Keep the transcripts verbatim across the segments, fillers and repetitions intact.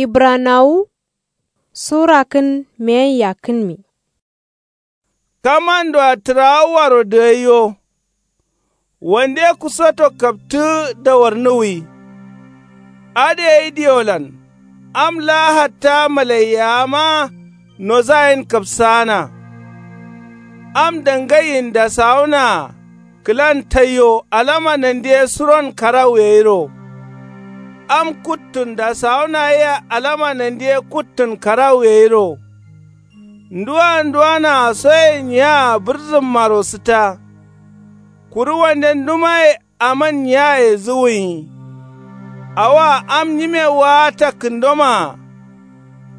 Ibranawu sura kǝn meyen yakkǝnmi. Kamandoa tǝrawuaro dǝgaiyo. Wande kusoto kaptǝ dawarnǝwwi. Adǝ gai diolan am laa hatta malaiyawa ma nozayen kapsaana. Am dangaiyin dasawunaa kǝlan taiyo alama nandiye suron karawu gairo. Am kuttun dasawunaa yea alama nandiye kuttun karawu gairo. Nduwa nduwanaa soye nyiyaa bǝrzǝmmaro sǝtta. Kuru wande ndumaye aman nyiyaye zuwuyi. Awoa am nyime waata kǝndomaa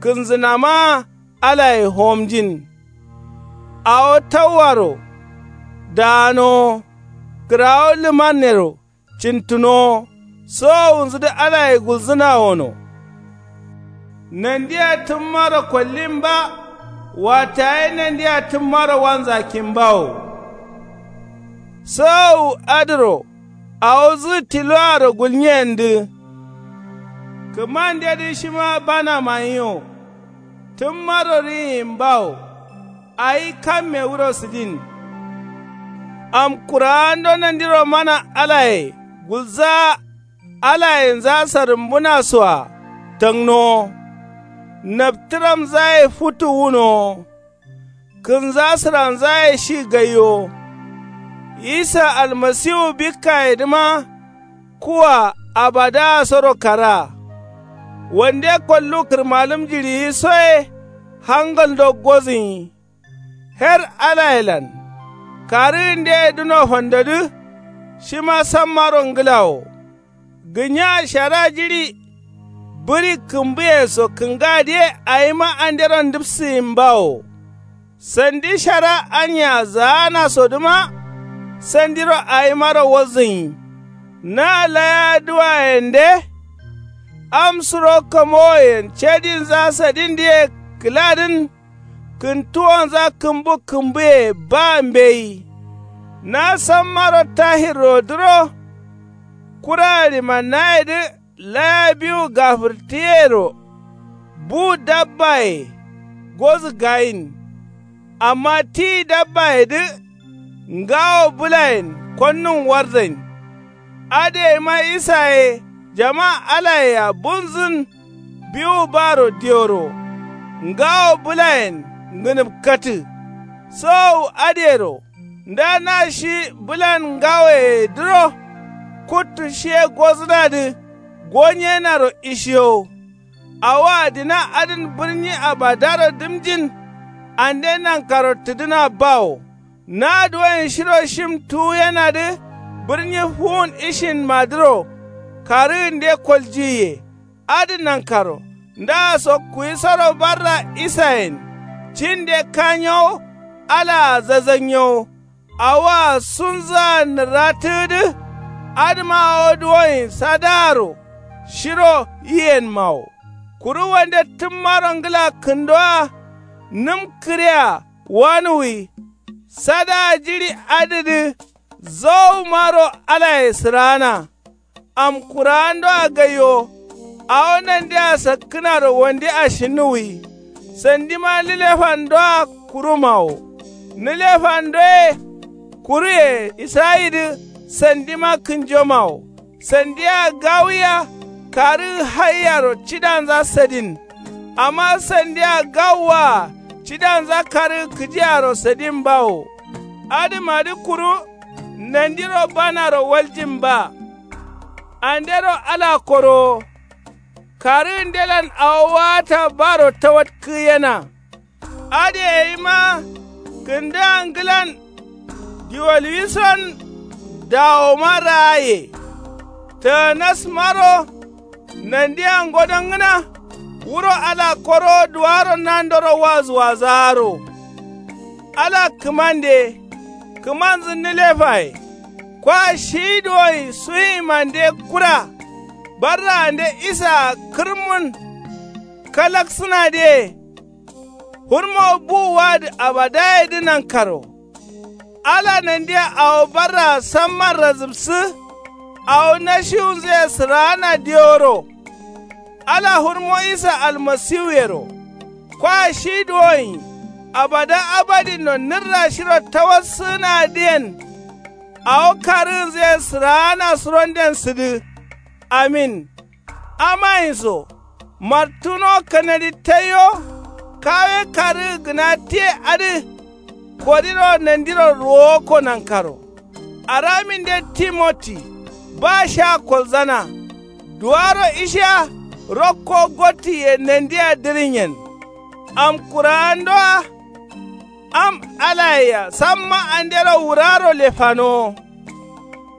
kǝnzǝnamaa alaye homnjin. Awo tauwaro daanowo kǝrawo lǝmannero cintǝnowo sowowunzǝdǝ alaye gulzǝnawono. Nandia tǝmmaro kollin ba. Wattaye nandia tǝmmaro wanzakkin bawo. Sowowu adǝro awo zǝgǝ tiloaro gulnyiyendǝ. Kǝmandedǝ shima bana maniyo. Tǝmmaro riyin bawo. Awi kamme wuro sǝdin. Am kuraando nandiro mana alaye gulzaa alayenza sarǝmbuna soa tangnowo. Naptǝramzaye futu wunowo. Kǝnza sǝranzaye shi gaiyowo. Isa almasiwu bikkayedǝma kuwa abadaasoro karaa. Wande kollu kǝrmalǝm jiɍiyi soye hangaldo gozǝnyi. Her alayelan karǝgǝndeye dǝno fandodǝ. Shima sammaro ngla wo. Gǝnya shara jiɍi bǝɍi kǝmbǝye so kǝngadǝye awima andero ndǝpsǝyin bawo. Sandi shara anya zaanasodǝma sandiro awimaro walzǝnyi. Na laya duwayende am suro kamowoyen cedinza sadindǝye kǝladǝn. Kǝntuwonza kǝmbu kǝmbuye ba mbeyi. Na sammaro tahirrodǝro kura ɍimannayedǝ laya biwu gafǝrtǝyero. Bu dabbaye gozǝ gayin. Amma ti dabbayedǝ ngawo bǝlayen konnun warzain. Adǝ gaima isa ye jama alayea bunzǝn. Biwu baro dioro ngawo bǝlayen ngǝnǝpkatǝ. Sowowu adǝyero nda na shi bǝlan ngawoyedǝro kuttu shiye gozǝnadǝ. Gonyenaro ishiyowo. Awoa dina adǝn bǝrnyi abadaro dǝmjin. Ande nankaro tǝdǝna bawo. Na duwoyen shiro shim tuwuyenadǝ bǝrnyi fuwun ishinmadǝro karǝgǝnde koljiyiye. Adǝ nankaro ndaso kuwisoro barra isayen cinde kanyowo. Alaa zazannyowo. Awoa sunzǝa nǝrratǝgǝdǝ. Adǝma awo duwoyen sadaaro shiro yiyenmawo. Kuru wande tǝmmaro ngla kǝndowa nǝm kǝrea wanuwi. Sadaa jiɍi adǝdǝ zowumaro alaye sǝraana. Am kurawandoa gaiwo. Awo nandea sakkǝnaro wande ashinnuwwi. Sandima nǝlefandoa kurumawo. Nǝlefandoye kuruye israyidǝ sandima kǝnjomawo. Sandia gawuya karǝgǝ haiyaro cidanza sadin. Amma sandia gawuwaa cidanza karǝgǝ kǝjiyaro sadin bawo. Adǝmadǝ kuru nandiro banaro waljin ba. Andero ala korowo. Karǝgǝndelan awo waata baro tawatkǝgǝyena. Adǝ gayima kǝndǝa ngǝlan diwolwison dawoma raaye. Taganasmaro nandia ngodongǝna. Wuro ala korowo duwaro nandoro wazǝwazaaro. Ala kǝmande kǝmanzǝ nǝlefaye. Kwa shi duwoi suyimande kura barraande isaa kǝrmun kalaksǝnadǝye. Hurmo bu wadǝ abadayedǝ nankaro. Ala nandia awo barraa samman razǝbsǝ. Awo nashiwunzǝye sǝraana diworo. Ala hurmo isa almasiwuyero, kwa shi duwonyi abada abadinno nǝrra shiro tawassǝgǝnadǝyen. Awo karǝgǝnzǝyen sǝraana suronden sǝdǝ. Amin. Amayinso martuno kanadi taiyo. Kawe karǝgǝ gǝna tiye adǝ. Kodiro nandiro ruwokko nankaro. Araminde timoti ba sha kolzana. Duwaro ishiya rokko gottiye nandiya dǝrǝnyen. Am kurawandowa am alayea samma andero wuraro lefanowo.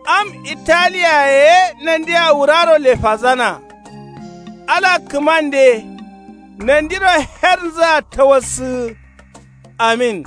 Am italiyaye ye nandiya wuraro lefazana. Ala kǝmande nandiro hernzǝa tawassǝgǝ. Amin.